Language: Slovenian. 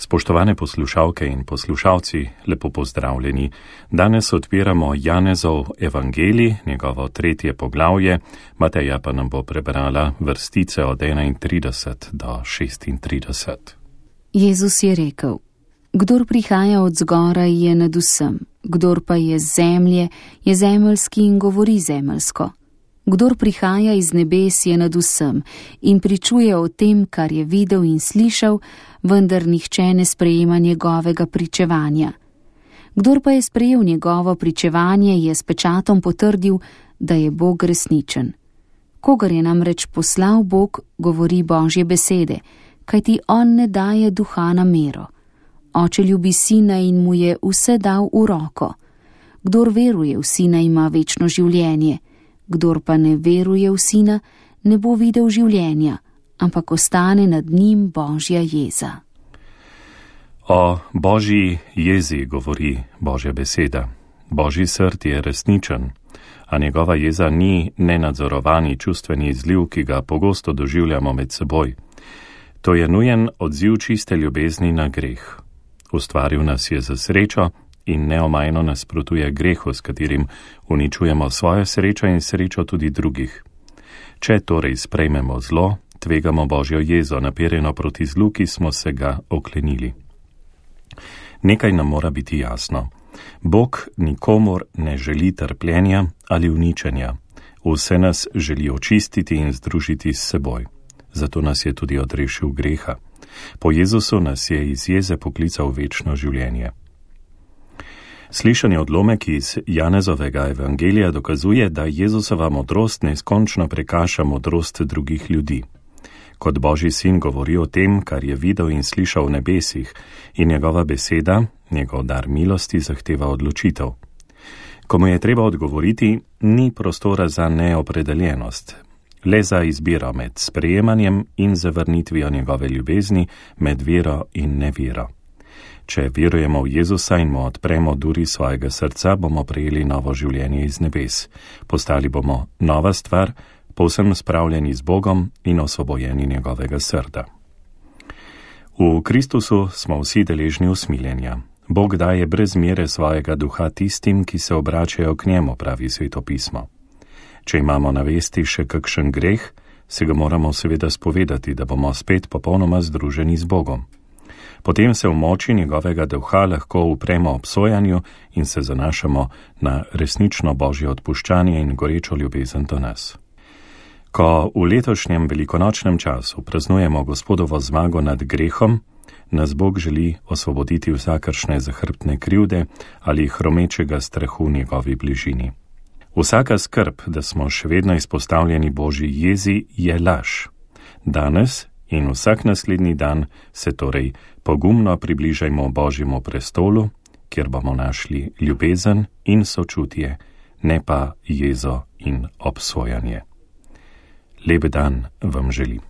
Spoštovane poslušalke in poslušalci, lepo pozdravljeni. Danes odpiramo Janezov evangelij, njegovo 3. poglavje, Mateja pa nam bo prebrala vrstice od 31 do 36. Jezus je rekel: Kdor prihaja od zgoraj, je nad vsem, kdor pa je z zemlje, je zemeljski in govori zemeljsko. Kdor prihaja iz nebes, je nad vsem in pričuje o tem, kar je videl in slišal, vendar nihče ne sprejema njegovega pričevanja. Kdor pa je sprejel njegovo pričevanje, je s pečatom potrdil, da je Bog resničen. Kogar je namreč poslal Bog, govori Božje besede, kajti on ne daje duha na mero. Oče ljubi sina in mu je vse dal v roko. Kdor veruje v sina, ima večno življenje. Kdor pa ne veruje v sina, ne bo videl življenja, ampak ostane nad njim Božja jeza. O Božji jezi govori Božja beseda. Božji srd je resničen, a njegova jeza ni nenadzorovani čustveni izliv, ki ga pogosto doživljamo med seboj. To je nujen odziv čiste ljubezni na greh. Ustvaril nas je za srečo in neomajno nasprotuje grehu, s katerim uničujemo svojo srečo in srečo tudi drugih. Če torej sprejmemo zlo, tvegamo Božjo jezo, naperjeno proti zlu, ki smo se ga oklenili. Nekaj nam mora biti jasno. Bog nikomur ne želi trpljenja ali uničenja. Vse nas želi očistiti in združiti s seboj. Zato nas je tudi odrešil greha. Po Jezusu nas je iz jeze poklical v večno življenje. Slišani odlomek iz Janezovega evangelija dokazuje, da Jezusova modrost neskončno prekaša modrost drugih ljudi. Kot Božji sin govori o tem, kar je videl in slišal v nebesih, in njegova beseda, njegov dar milosti, zahteva odločitev. Ko mu je treba odgovoriti, ni prostora za neopredeljenost, le za izbiro med sprejemanjem in zavrnitvijo njegove ljubezni, med vero in nevero. Če verujemo v Jezusa in mu odpremo duri svojega srca, bomo prejeli novo življenje iz nebes. Postali bomo nova stvar, povsem spravljeni z Bogom in osvobojeni njegovega srda. V Kristusu smo vsi deležni usmiljenja. Bog daje brez mere svojega duha tistim, ki se obračajo k njemu, pravi Sveto pismo. Če imamo na vesti še kakšen greh, se ga moramo seveda spovedati, da bomo spet popolnoma združeni z Bogom. Potem se v moči njegovega duha lahko upremo obsojanju in se zanašamo na resnično Božje odpuščanje in gorečo ljubezen do nas. Ko v letošnjem velikonočnem času praznujemo Gospodovo zmago nad grehom, nas Bog želi osvoboditi vsakršne zahrbtne krivde ali hromečega strahu v njegovi bližini. Vsaka skrb, da smo še vedno izpostavljeni Božji jezi, je laž. Danes in vsak naslednji dan se torej pogumno približajmo Božjemu prestolu, kjer bomo našli ljubezen in sočutje, ne pa jezo in obsojanje. Lep dan vam želim.